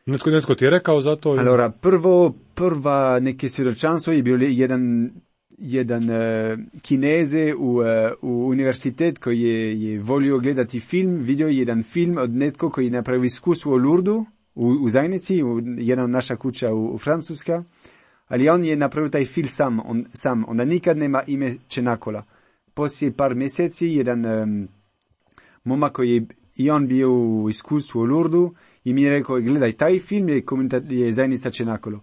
Netko, netko ti je rekao za to? Allora, prvo, prva neke svjedočanstvo je bio jedan, jedan uh, Kineze u, uh, u univerzitet koji je, je volio gledati film, vidio jedan film od netko koji je napravio iskustvo u Lurdu, u, u zajednici, u jedna naša kuća u, u Francuska, ali on je napravio taj film sam, on, sam. Onda nikad nema ime Čenakola. Poslije par mjeseci jedan um, momak koji je i on bio u iskustvu u Lurdu i mi je rekao, gledaj, taj film je, je zajednica Čenakolo.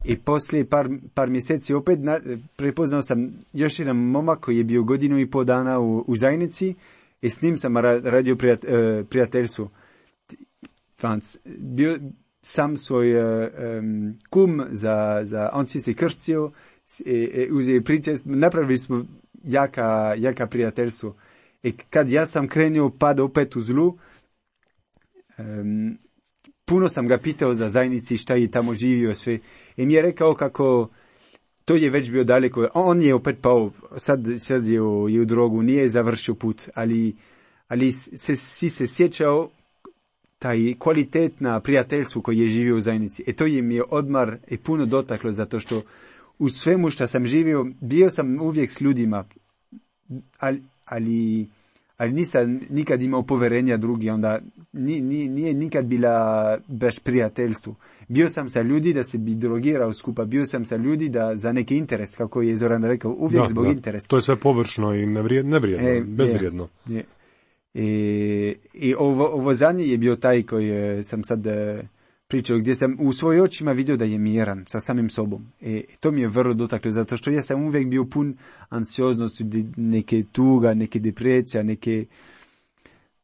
I poslije par, par mjeseci opet na, prepoznao sam još jedan momak koji je bio godinu i pol dana u, u zajednici i s njim sam radio prijat, uh, prijateljstvo. Bio sam svoj um, kum, za, za, on si se krstio, uzeo priče, napravili smo jaka, jaka prijateljstvo. I kad ja sam krenio pad opet u zlu, um, puno sam ga pitao za zajednici, šta je tamo živio sve. I mi je rekao kako to je već bio daleko. On je opet pao, sad, sad je, u, je u drogu, nije završio put, ali, ali se, si se sjećao taj kvalitetna prijateljstvo koji je živio u zajednici. E to je mi je odmar i puno dotaklo, zato što u svemu što sam živio, bio sam uvijek s ljudima, ali, ali, ali nisam nikad imao poverenja drugi, onda ni, ni, nije nikad bila baš prijateljstvo. Bio sam sa ljudi da se bi drogirao skupa, bio sam sa ljudi da za neki interes, kako je Zoran rekao, uvijek da, zbog da. interesa. To je sve površno i nevrijedno, nevrijedno e, bezvrijedno. Je, je. I, i ovo, ovo zadnje je bio taj koji sam sad pričao, gdje sam u svojim očima vidio da je miran sa samim sobom. I to mi je vrlo dotaklo, zato što ja sam uvijek bio pun anksioznosti, neke tuga, neke depresija, neke,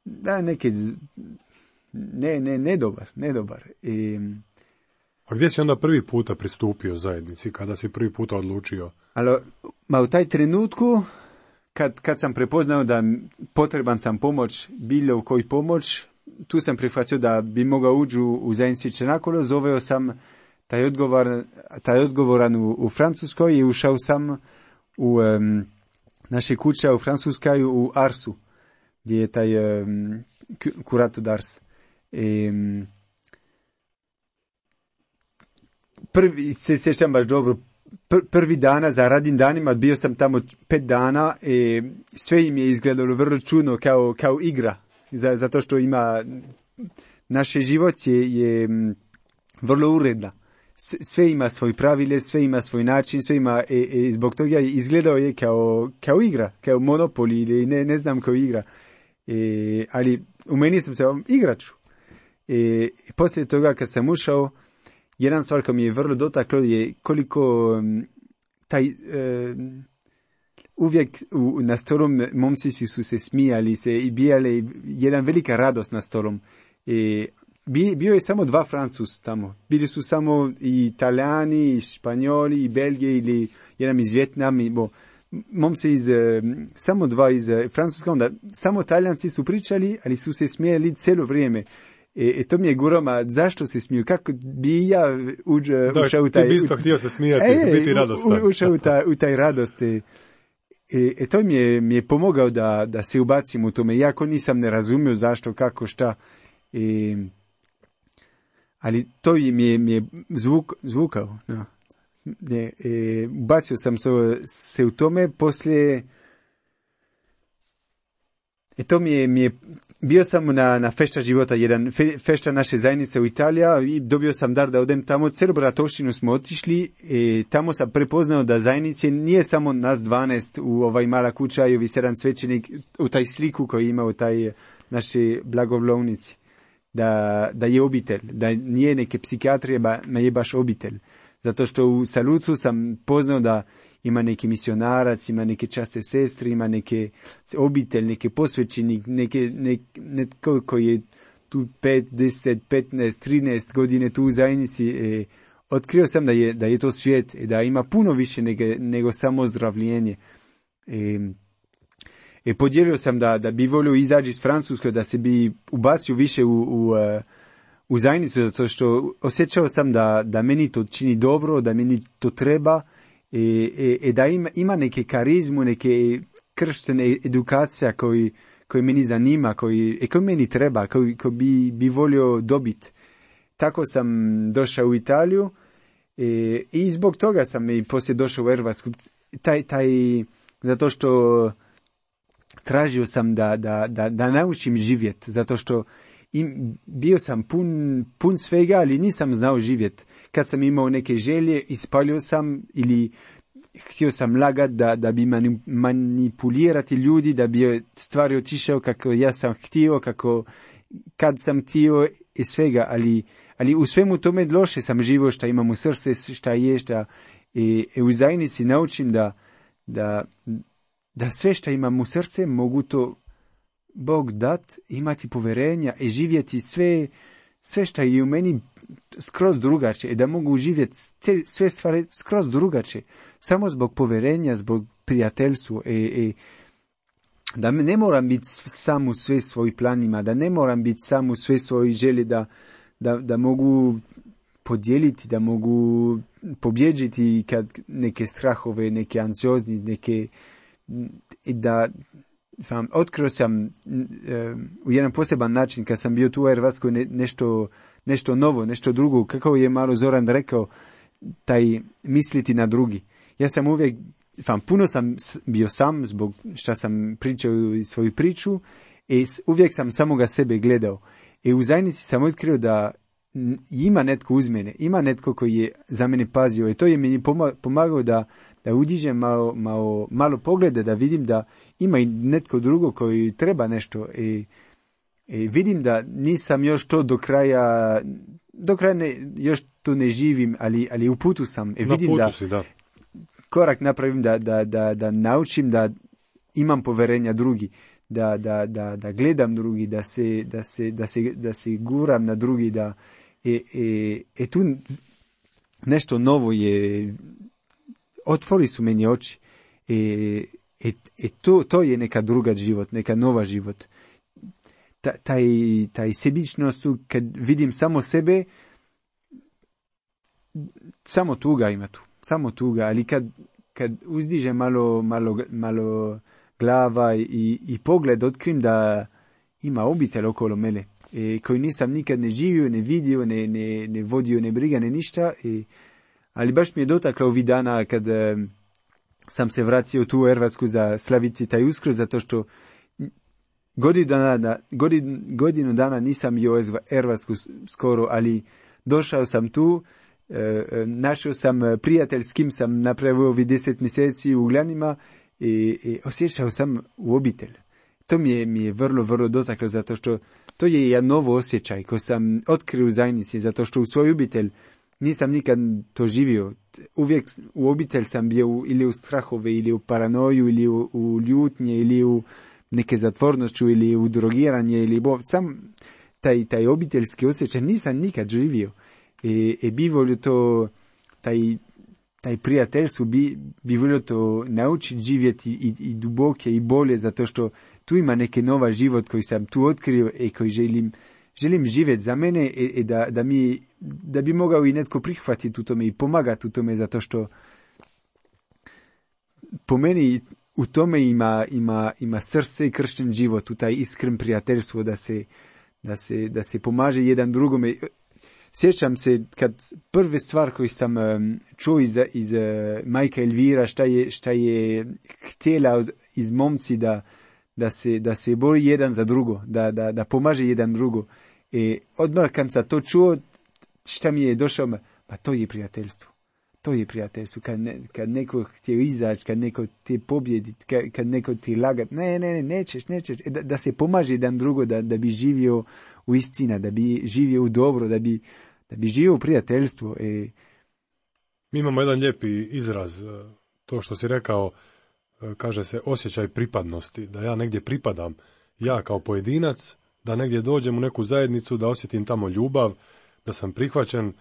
da, neke, ne, ne, ne dobar, ne dobar. I, a gdje si onda prvi puta pristupio zajednici, kada si prvi puta odlučio? Alo, ma u taj trenutku, Kad, kad sam prepoznao da potreban sam pomoć, bilo koji pomoć, tu sam prihvatio da bi mogao ući u, u zajednici Čenakolo, zoveo sam taj, odgovor, taj odgovoran u, u Francuskoj i ušao sam u um, naše kuće u Francuskoj u Arsu, gdje je taj um, kurato d'Ars. I, um, prvi se sjećam baš dobro, prvi dana, za radnim danima, bio sam tamo pet dana i sve im je izgledalo vrlo čudno kao, kao igra, zato što ima, naše život je, je vrlo uredna. sve ima svoj pravile, sve ima svoj način, sve ima, e, e, zbog toga izgledao je kao, kao igra, kao Monopoly ili ne, ne znam kao igra. E, ali u meni sam se igraču. E, poslije toga kad sam ušao, jedan stvar koja mi je vrlo dotaklo je koliko um, taj, um, uvijek u, na stolom momci su se smijali se i bijali, jedan velika radost na stolom. E, bio je samo dva Francus tamo. Bili su samo i Italijani, i Španjoli, i Belgije ili jedan iz Vjetnama. Bo, momci iz, samo dva iz Francuska, onda samo Talijanci su pričali, ali su se smijali cijelo vrijeme. E, e to mi je guroma, zašto se smiju? Kako bi ja uđ, da, ušao u taj... Da, ti bi isto htio se smijati, e, biti radostan. U, ušao u, ta, u taj radost. E, e to mi je, mi je pomogao da, da se ubacim u tome. Iako nisam ne razumio zašto, kako, šta. E, ali to mi je, mi je zvuk, zvukao. No. E, e, ubacio sam se, se u tome, poslije... E to mi je, mi je, bio sam na, na fešta života, jedan fe, fešta naše zajednice u Italija i dobio sam dar da odem tamo, celu bratovštinu smo otišli i tamo sam prepoznao da zajednice nije samo nas dvanaest u ovaj mala kuća i ovi sedam svećenik u taj sliku koji ima u taj naši blagovlovnici, da, da je obitelj, da nije neke psihijatrije, ba je baš obitelj. Zato što u Saluzzu sam poznao da ima neki misionarac, ima neke časte sestre, ima neke obitelj, neke posvećenik, neke, nek, netko koji je tu pet, deset, petnaest, trinaest godine tu u zajednici. E, otkrio sam da je, da je to svijet, e, da ima puno više nego, nego samo zdravljenje. E, e, podijelio sam da, da bi volio izaći iz Francuske, da se bi ubacio više u, u, u zajednicu, zato što osjećao sam da, da meni to čini dobro, da meni to treba, i e, e, da ima, ima neke karizmu, neke krštene edukacija koji, koji meni zanima, koji, e, koji meni treba, koji, koji bi, bi volio dobiti. Tako sam došao u Italiju e, i zbog toga sam i poslije došao u Hrvatsku. Taj, taj, zato što tražio sam da, da, da, da naučim živjeti, zato što im, bio sam pun, pun svega, ali nisam znao živjeti. Kad sam imao neke želje, ispalio sam ili htio sam lagat da, da bi manipulirati ljudi, da bi stvari otišao kako ja sam htio, kako kad sam htio i svega, ali, ali u svemu tome loše sam živo, šta imam u srce, šta je, šta i, i u zajednici naučim da, da, da sve šta imam u srce mogu to Bog dat, imati poverenja i živjeti sve, sve što je u meni skroz drugačije, da mogu živjeti sve stvari skroz drugačije, samo zbog poverenja, zbog prijateljstva, e, e, da ne moram biti sam u sve svojih planima, da ne moram biti sam u sve svojih želje, da, da, da mogu podijeliti, da mogu pobjeđiti kad neke strahove, neke anciozni, neke, da Vam, otkrio sam e, u jedan poseban način kad sam bio tu u Hrvatskoj ne, nešto, nešto novo, nešto drugo, kako je malo Zoran rekao, taj misliti na drugi. Ja sam uvijek, vam, puno sam bio sam zbog šta sam pričao svoju priču i uvijek sam samoga sebe gledao. I u zajednici sam otkrio da ima netko uz mene, ima netko koji je za mene pazio i to je meni pomagao da da uđižem malo, malo, malo poglede, da vidim da ima i netko drugo koji treba nešto i, i vidim da nisam još to do kraja, do kraja ne, još to ne živim, ali, ali u putu sam. I vidim putu da, si, da korak napravim, da, da, da, da naučim da imam poverenja drugi, da, da, da, da gledam drugi, da se, da se, da se, da se guram na drugi, da i, i, i tu nešto novo je, otvori su meni oči i, i, i to, to je neka druga život, neka nova život. Ta, taj, taj sebičnost, kad vidim samo sebe, samo tuga ima tu, samo tuga, ali kad, kad uzdiže malo, malo, malo glava i, i pogled, otkrim da ima obitelj okolo mene, i koji nisam nikad ne živio, ne vidio, ne, ne, ne vodio, ne briga, ne ništa, i ali baš mi je dotaklo ovih dana kad e, sam se vratio tu u Hrvatsku za slaviti taj Uskrs, zato što godinu dana, godin, godinu dana nisam bio u Hrvatsku skoro, ali došao sam tu našao sam prijatelj s kim sam napravio ovih deset mjeseci u Gljanima i, i osjećao sam u obitelj. To mi je, mi je vrlo, vrlo dotaklo, zato što to je jedan novo osjećaj koji sam otkrio u zajednici, zato što u svoj obitelj nisam nikad to živio. Uvijek u obitelj sam bio ili u strahove, ili u paranoju, ili u, u ljutnje, ili u neke zatvornošću, ili u drogiranje, ili bo, sam taj, taj obiteljski osjećaj nisam nikad živio. I, i bi volio to, taj, taj prijateljstvo, bi, bi volio to naučiti živjeti i, i duboke i bolje, zato što tu ima neki nova život koji sam tu otkrio i koji želim, želim živjeti za mene i, i da, da, mi, da bi mogao i netko prihvatiti u tome i pomagati u tome, zato što po meni u tome ima, ima, ima srce i kršten život, u taj iskren prijateljstvo, da se, da se, da se pomaže jedan drugome. Sjećam se kad prve stvar koju sam um, čuo iz, iz uh, majka Elvira, šta je, šta je htjela iz momci da, da, se, da se bori jedan za drugo, da, da, da pomaže jedan drugo. I odmah kad sam to čuo, šta mi je došao, pa to je prijateljstvo. To je prijateljstvo. Kad, ne, kad neko htio izaći, kad neko te pobjedi, kad, kad neko ti lagat, ne, ne, ne, nećeš, nećeš. Da, da se pomaže jedan drugo, da, da bi živio u istina, da bi živio u dobro, da bi, da bi živio u prijateljstvu. E... Mi imamo jedan lijepi izraz, to što si rekao, kaže se osjećaj pripadnosti, da ja negdje pripadam, ja kao pojedinac, da negdje dođem u neku zajednicu, da osjetim tamo ljubav, da sam prihvaćen,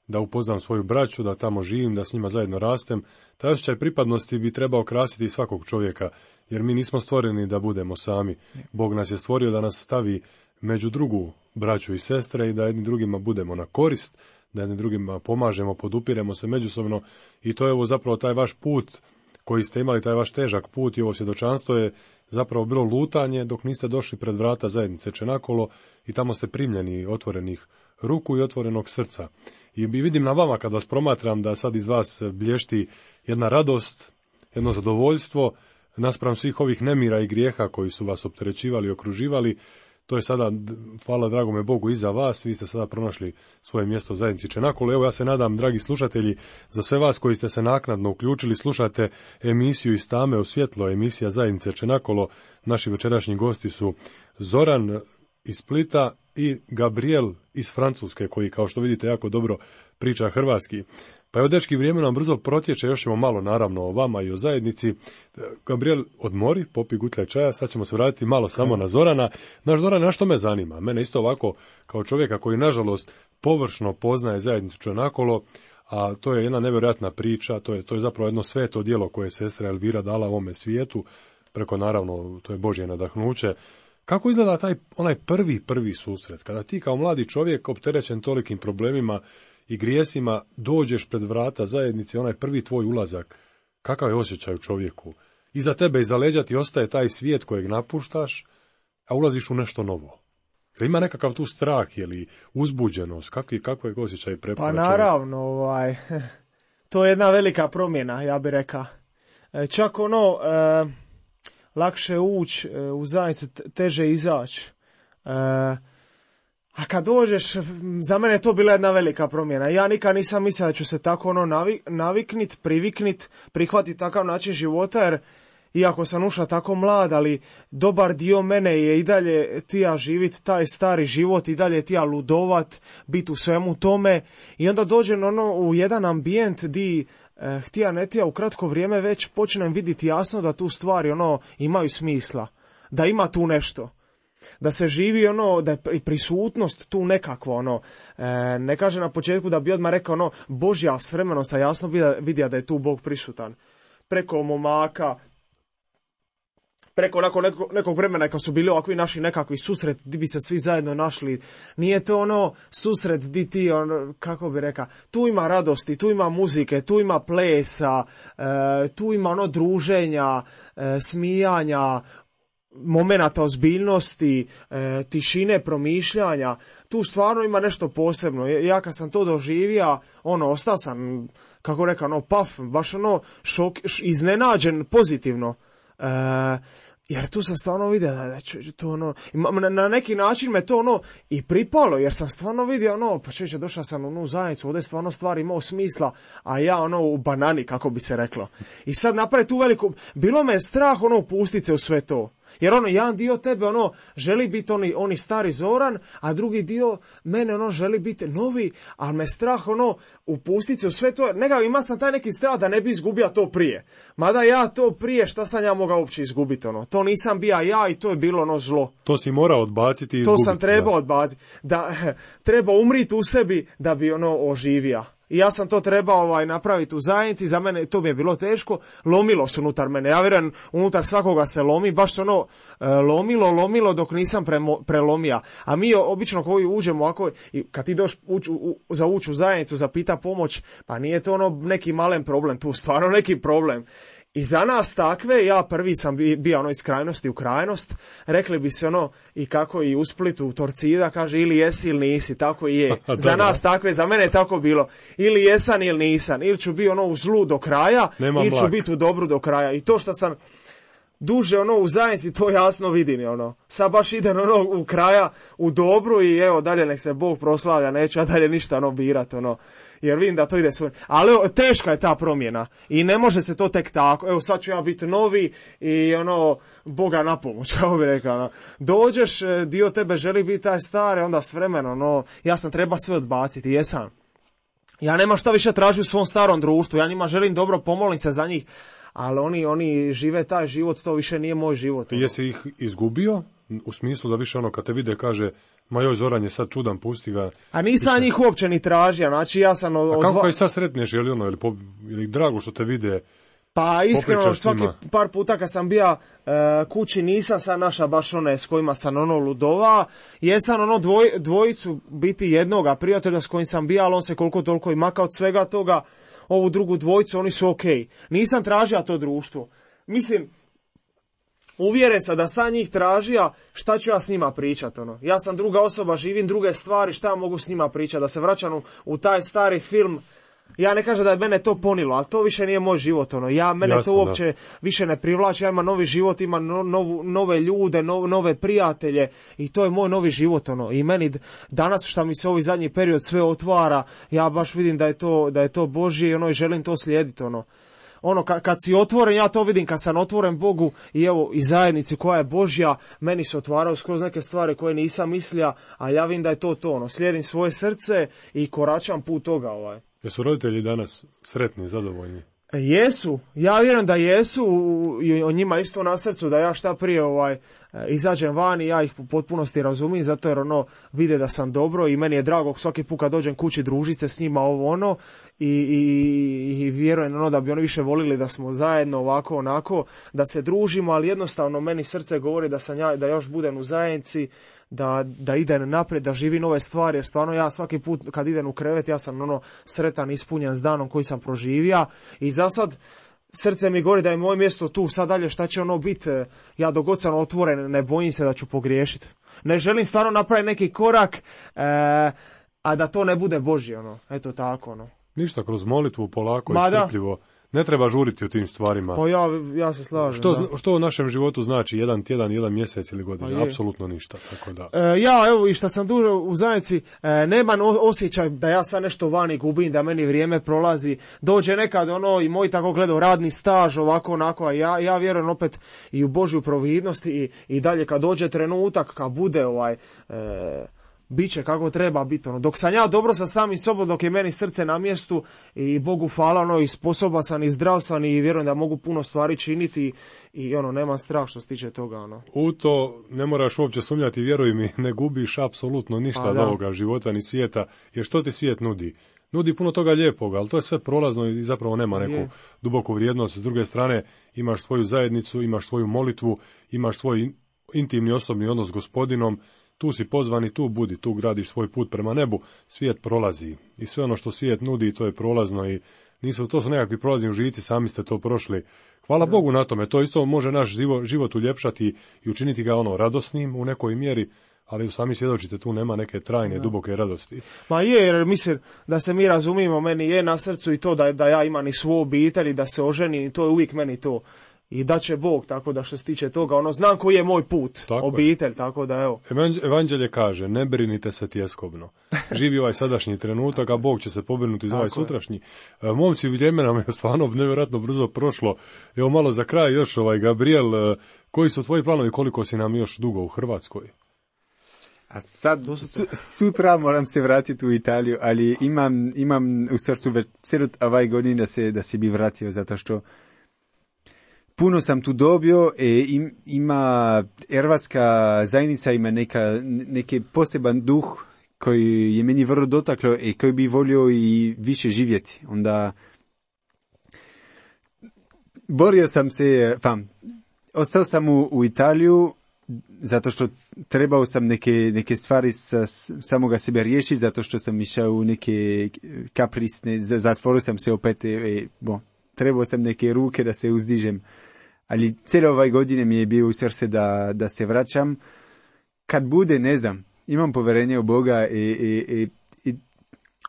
da upoznam svoju braću, da tamo živim, da s njima zajedno rastem. Taj osjećaj pripadnosti bi trebao krasiti svakog čovjeka, jer mi nismo stvoreni da budemo sami. Bog nas je stvorio da nas stavi među drugu braću i sestre i da jedni drugima budemo na korist, da jedni drugima pomažemo, podupiremo se međusobno, i to je ovo zapravo taj vaš put koji ste imali, taj vaš težak put, i ovo svjedočanstvo je zapravo bilo lutanje dok niste došli pred vrata zajednice Čenakolo i tamo ste primljeni otvorenih ruku i otvorenog srca. I vidim na vama kad vas promatram da sad iz vas blješti jedna radost, jedno zadovoljstvo naspram svih ovih nemira i grijeha koji su vas opterećivali i okruživali. To je sada, hvala dragome Bogu, iza vas, vi ste sada pronašli svoje mjesto u zajednici Čenakolo. Evo, ja se nadam, dragi slušatelji, za sve vas koji ste se naknadno uključili, slušate emisiju Iz tame u svjetlo, emisija zajednice Čenakolo. Naši večerašnji gosti su Zoran iz Splita i Gabriel iz Francuske, koji, kao što vidite, jako dobro priča hrvatski. Pa evo, dečki, vrijeme nam brzo protječe, još ćemo malo naravno o vama i o zajednici. Gabriel, odmori, popi gutljaj čaja, sad ćemo se vratiti malo samo na Zorana. Naš Zoran, na što me zanima? Mene isto ovako, kao čovjeka koji, nažalost, površno poznaje zajednicu Čenakolo, a to je jedna nevjerojatna priča, to je, to je zapravo jedno sveto djelo koje je sestra Elvira dala ovome svijetu, preko, naravno, to je Božje nadahnuće. Kako izgleda taj, onaj prvi, prvi susret, kada ti kao mladi čovjek, opterećen tolikim problemima i grijesima, dođeš pred vrata zajednice, onaj prvi tvoj ulazak, kakav je osjećaj u čovjeku? Iza tebe, iza leđa ti ostaje taj svijet kojeg napuštaš, a ulaziš u nešto novo. Ima nekakav tu strah ili uzbuđenost, kakvi, kako je osjećaj prepora? Pa naravno, ovaj, to je jedna velika promjena, ja bih rekao. Čak ono, e, lakše ući u zajednicu, teže izaći. E, A kad dođeš, za mene je to bila jedna velika promjena. Ja nikad nisam mislio da ću se tako ono navik, naviknit, priviknit, prihvatiti takav način života, jer iako sam ušla tako mlad, ali dobar dio mene je i dalje tija živit taj stari život, i dalje tija ludovat, biti u svemu tome. I onda dođem ono u jedan ambijent di eh, htija ne tija u kratko vrijeme već počnem vidjeti jasno da tu stvari ono imaju smisla, da ima tu nešto. Da se živi ono, da je prisutnost tu nekakva, ono, e, ne kaže na početku da bi odmah rekao, ono, Božja, s vremenom sam jasno vidio da je tu Bog prisutan. Preko momaka, preko nakon neko, nekog vremena kad su bili ovakvi naši nekakvi susret, di bi se svi zajedno našli, nije to ono susret di ti, ono, kako bi rekao, tu ima radosti, tu ima muzike, tu ima plesa, e, tu ima ono druženja, e, smijanja, momenata ozbiljnosti, e, tišine, promišljanja, tu stvarno ima nešto posebno. Ja kad sam to doživio, ono, ostao sam, kako rekao, ono, paf, baš ono, šok, iznenađen pozitivno. E, Jer tu sam stvarno vidio da, da to ono, na, na neki način me to ono i pripalo, jer sam stvarno vidio ono, pa čeće, došao sam u onu zajednicu, ovdje stvarno stvari imao smisla, a ja ono u banani, kako bi se reklo. I sad napravi tu veliku, bilo me je strah ono upustit se u sve to. Jer ono, jedan dio tebe ono želi biti oni, oni stari Zoran, a drugi dio mene ono želi biti novi, ali me strah ono upustit se u sve to. Neka, ima sam taj neki strah da ne bi izgubio to prije. Mada ja to prije, šta sam ja mogao uopće izgubiti ono. To nisam bija ja i to je bilo ono zlo. To si morao odbaciti i izgubiti. To sam trebao odbaciti. Da, treba umriti u sebi da bi ono oživio. I ja sam to trebao ovaj, napraviti u zajednici, za mene to mi je bilo teško, lomilo se unutar mene, ja vjerujem unutar svakoga se lomi, baš se ono e, lomilo, lomilo dok nisam premo, prelomija. A mi obično koji uđemo ovako, i kad ti doš uč, u, za ući u zajednicu, za pita pomoć, pa nije to ono neki malen problem, tu stvarno neki problem. I za nas takve, ja prvi sam bio ono iz krajnosti u krajnost, rekli bi se ono i kako i u Splitu, u Torcida, kaže ili jesi ili nisi, tako i je. Za nas takve, za mene je tako bilo, ili jesan ili nisam, ili ću biti ono u zlu do kraja, Nema ili ću blak. biti u dobru do kraja. I to što sam duže ono u zajednici, to jasno vidim, ono. Sad baš idem ono u kraja, u dobru i evo dalje nek se Bog proslavlja, neću ja dalje ništa ono birat, ono. Jer vidim da to ide svoj. Ali teška je ta promjena i ne može se to tek tako. Evo sad ću ja biti novi i ono, Boga na pomoć, kao bi rekao. Ono. Dođeš, dio tebe želi biti taj stari, onda s vremenom, no, ja sam treba sve odbaciti, jesam. Ja nemam šta više tražiti u svom starom društvu, ja njima želim dobro, pomolim se za njih, ali oni, oni žive taj život, to više nije moj život. Ono. Jesi ih izgubio? U smislu da više ono kad te vide kaže ma joj Zoran je sad čudan, pusti ga. A nisam Više... njih uopće ni tražio, znači ja sam... Od, A kako dva... kaj sad sretneš, je li ono, ili, po, ili drago što te vide? Pa iskreno, svaki njima. par puta kad sam bio e, kući nisam sad naša baš one s kojima sam ono ludova, jesam ono dvoj, dvojicu biti jednoga prijatelja s kojim sam bio, ali on se koliko toliko i maka od svega toga, ovu drugu dvojicu, oni su okej. Okay. Nisam tražio to društvo. Mislim, uvjeren sam da sam njih tražija, šta ću ja s njima pričat, ono. Ja sam druga osoba, živim druge stvari, šta mogu s njima pričat, da se vraćam u, u taj stari film. Ja ne kažem da je mene to ponilo, ali to više nije moj život, ono. Ja, mene Jasno, to uopće da. više ne privlači, ja imam novi život, imam no, novu, nove ljude, no, nove prijatelje i to je moj novi život, ono. I meni danas šta mi se ovaj zadnji period sve otvara, ja baš vidim da je to, da je to Božje, ono, i želim to slijediti, ono. Ono, kad, kad si otvoren, ja to vidim, kad sam otvoren Bogu i evo, i zajednici koja je Božja, meni se otvaraju skroz neke stvari koje nisam mislio, a ja vidim da je to to, ono, slijedim svoje srce i koračam put toga, ovaj. Jesu roditelji danas sretni, zadovoljni? Jesu, ja vjerujem da jesu i o njima isto na srcu, da ja šta prije ovaj izađem van i ja ih u potpunosti razumijem, zato jer ono vide da sam dobro i meni je drago svaki put kad dođem kući družit se s njima ovo ono i, i, i vjerujem ono da bi oni više volili da smo zajedno ovako onako, da se družimo, ali jednostavno meni srce govori da sam ja, da još budem u zajednici, da, da idem naprijed, da živi nove stvari, jer stvarno ja svaki put kad idem u krevet ja sam ono sretan, ispunjen s danom koji sam proživio i za sad srce mi govori da je moje mjesto tu, sad dalje šta će ono biti, ja dok god sam otvoren ne bojim se da ću pogriješiti. Ne želim stvarno napraviti neki korak, e, a da to ne bude Božje, ono, eto tako, ono. Ništa, kroz molitvu, polako Ma i strpljivo. Ne treba žuriti u tim stvarima. Pa ja, ja se slažem. Što, da. što u našem životu znači jedan tjedan, jedan mjesec ili godina? Pa apsolutno ništa. Tako da. E, ja, evo, i što sam duže u zajednici, e, nemam osjećaj da ja sad nešto vani gubim, da meni vrijeme prolazi. Dođe nekad ono i moj tako gledao radni staž, ovako, onako, a ja, ja vjerujem opet i u Božju providnost i, i dalje kad dođe trenutak, kad bude ovaj... E, biće kako treba biti, ono. Dok sam ja dobro sa samim sobom, dok je meni srce na mjestu i Bogu hvala, ono, i sposoban sam i zdrav sam i vjerujem da mogu puno stvari činiti i ono, nemam strah što se tiče toga, ono. U to ne moraš uopće sumnjati, vjeruj mi, ne gubiš apsolutno ništa od ovoga života ni svijeta, jer što ti svijet nudi? Nudi puno toga lijepoga, ali to je sve prolazno i zapravo nema neku je. duboku vrijednost. S druge strane, imaš svoju zajednicu, imaš svoju molitvu, imaš svoj intimni osobni odnos s Gospodinom. Tu si pozvan i tu budi, tu gradiš svoj put prema nebu, svijet prolazi i sve ono što svijet nudi to je prolazno i nisu, to su nekakvi prolazni užici, sami ste to prošli. Hvala ja. Bogu na tome, to isto može naš život, život uljepšati i učiniti ga ono radosnim u nekoj mjeri, ali sami svjedočite, tu nema neke trajne, ja. duboke radosti. Ma je, jer mislim da se mi razumijemo, meni je na srcu i to da, da ja imam i svoju obitelj i da se oženim i to je uvijek meni to. i da će Bog, tako da što se tiče toga, ono, znam koji je moj put, tako obitelj, je. Tako da evo. Evanđelje kaže, ne brinite se tjeskobno. Živi ovaj sadašnji trenutak, a Bog će se pobrinuti za ovaj sutrašnji. E, momci, vrijeme nam je stvarno nevjerojatno brzo prošlo. Evo malo za kraj još, ovaj Gabriel, koji su tvoji planovi, koliko si nam još dugo u Hrvatskoj? A sad, su, sutra moram se vratiti u Italiju, ali imam, imam u srcu već cijelu ovaj godin da se, da se bi vratio, zato što puno sam tu dobio i im, ima, hrvatska zajednica ima neka, neki poseban duh koji je meni vrlo dotaklo i koji bi volio i više živjeti. Onda borio sam se, pa, ostao sam u, u Italiju, zato što trebao sam neke, neke stvari sa samoga sebe riješiti, zato što sam išao u neke kaprisne, zatvorio sam se opet i bon, trebao sam neke ruke da se uzdižem. Ali cijelo ovaj godine mi je bio u srce da, da se vraćam. Kad bude, ne znam, imam povjerenje u Boga i, i, i, i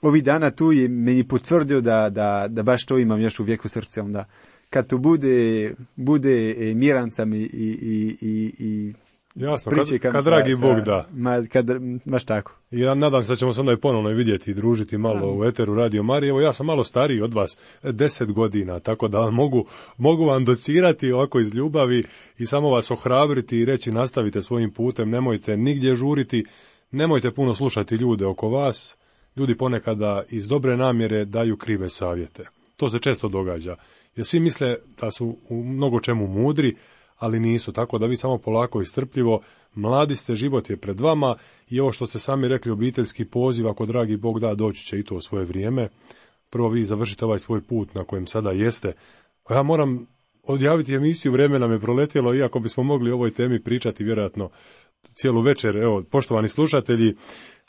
ovih dana tu je meni potvrdio da, da, da baš to imam još uvijek u srce. Onda kad to bude, bude miran sam i, i, i, i jasno, kad, kad dragi sa, Bog da. Ma, kad, baš tako. I ja nadam se da ćemo se onda i ponovno vidjeti i družiti malo da. U eteru Radio Marije. Evo ja sam malo stariji od vas, deset godina, tako da mogu, mogu vam docirati ovako iz ljubavi i samo vas ohrabriti i reći nastavite svojim putem, nemojte nigdje žuriti, nemojte puno slušati ljude oko vas. Ljudi ponekada iz dobre namjere daju krive savjete. To se često događa. Jer svi misle da su u mnogo čemu mudri, ali nisu, tako da vi samo polako i strpljivo, mladi ste, život je pred vama i ovo što ste sami rekli, obiteljski poziv, ako dragi Bog da, doći će i to u svoje vrijeme. Prvo vi završite ovaj svoj put na kojem sada jeste. A ja moram odjaviti emisiju, vrijeme nam je proletjelo, iako bismo mogli o ovoj temi pričati vjerojatno cijelu večer. Evo, poštovani slušatelji,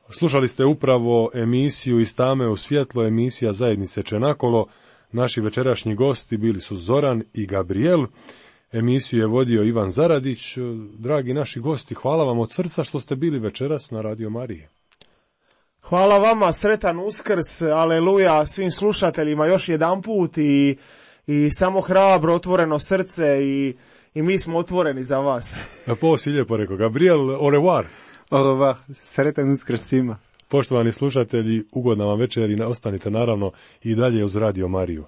slušali ste upravo emisiju Iz tame u svjetlo, emisija Zajednice Čenakolo. Naši večerašnji gosti bili su Zoran i Gabriel. Emisiju je vodio Ivan Zaradić. Dragi naši gosti, hvala vam od srca što ste bili večeras na Radio Mariji. Hvala vama, sretan Uskrs, aleluja svim slušateljima još jedan put i, i samo hrabro, otvoreno srce i, i mi smo otvoreni za vas. A po si lijepo rekao. Gabriel, au revoir. Au revoir, sretan Uskrs svima. Poštovani slušatelji, ugodna vam večer i ostanite naravno i dalje uz Radio Mariju.